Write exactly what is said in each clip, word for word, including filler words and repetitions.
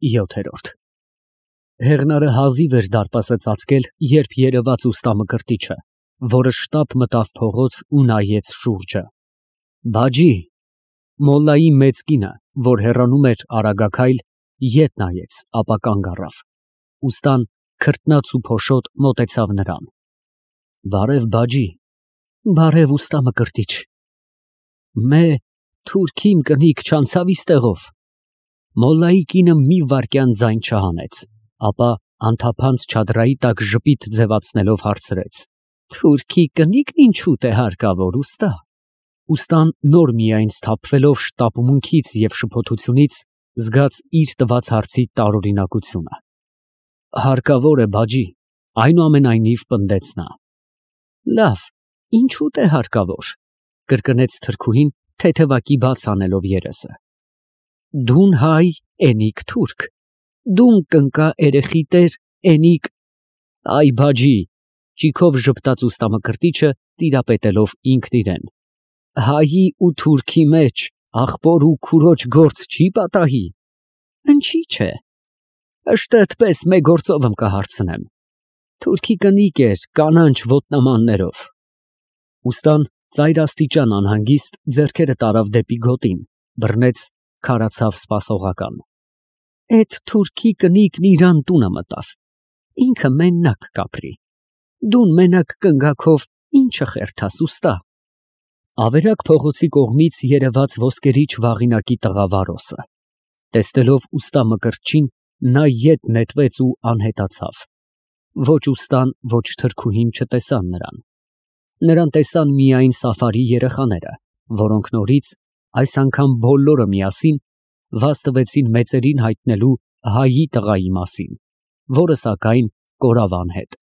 ՅՈԹԵՐՈՐԴ Հեղնարը հազիվ էր դարպասը ծածկել, երբ երևաց ուստա Մկրտիչը, որը շտապ մտավ փողոց ու նայեց շուրջը։ Բաջի… Մոլլայի մեծ կինը, որ հեռանում էր արագաքայլ, ետ նայեց, ապա կանգ առավ։ Ուստան քրտնած ու փոշոտ մոտեցավ նրան։ Բարև, բաջի։ Բարև, ուստա Մկրտիչ։ Մե… թուրք իմ կնիկ չանցավ իստեղով։ Մոլլայի կինը մի վայրկյան ձայն չհանեց, ապա անթափանց չադրայի տակ ժպիտ ձևացնելով հարցրեց. Թուրքի կնիկն ինչու՞տ է հարկավոր, ուստա։ Ուստան նոր միայն սթափվելով շտապումունքից և շփոթությունից, զգաց իր տված հարցի տարօրինակությունը։ Հարկավոր է, բաջի, այնուամենայնիվ պնդեց նա։ Լավ, ինչու՞տ է հարկավոր, կրկնեց թրքուհին, թեթևակի բաց անելով երեսը։ Դուն հայ, էնիկ թուրք, դուն կնկա երեխի տեր, էնիկ… Այ բաջի, ճիգով ժպտաց ուստա Մկրտիչը, տիրապետելով ինքն իրան, հայի ու թուրքի մեջ ախպոր ու քուրոջ գործ չի պատահի։ Ընչի՞ չէ, ըշտեթպես մեկ գործով ըմ կհարցնեմ։ Թուրքի կնիկ էր, կանաչ ոտնամաններով։ Ուստան ծայրաստիճան անհանգիստ ձեռքերը տարավ դեպի գոտին, բռնեց, քարացավ սպասողական։ Էդ թուրքի կնիկն իրան տունը մտավ, ինքը մենակ կապրի։ Դուն մենակ կնգաքով ի՞նչը խերթաս, ուստա։ Ավերակ փողոցի կողմից երևաց ոսկերիչ վաղինակի տղա Վարոսը։ Տեսնելով ուստա Մկրտչին, նա ետ նետվեց ու անհետացավ։ Ոչ ուստան, ոչ թրքուհին չտեսան նրան։ Նրան տեսան միայն Սաֆարի երեխաները, որոնք նորից, այս անգամ բոլորը միասին, վազ տվեցին մեծերին հայտնելու հայի տղայի մասին, որը սակայն կորավ անհետ։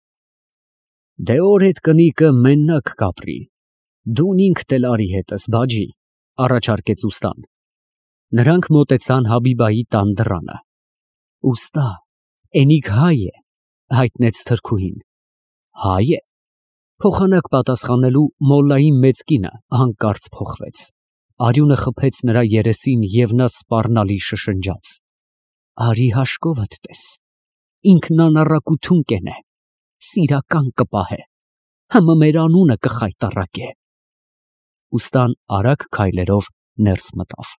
Դե օր էդ կնիկը մենակ կապրի, դուն ինքդ էլ արի հետս, բաջի, առաջարկեց ուստան։ Նրանք մոտեցան Հաբիբայի տան դռանը։ Ուստա, էնիկ հայ է, հայտնեց թրքուհին։ Հայ է։ Փոխանակ պատասխանելու մոլլայի մեծ կինը հանկարծ փոխվեց։ Արյունը խփեց նրա երեսին և նա սպառնալի շշնջաց. Արի հաշկովդ տես, ինքն անառակություն կենե, սիրական կպահե, հըմը մեր անունը կխայտառակե։ Ուստան արագ քայլերով ներս մտավ։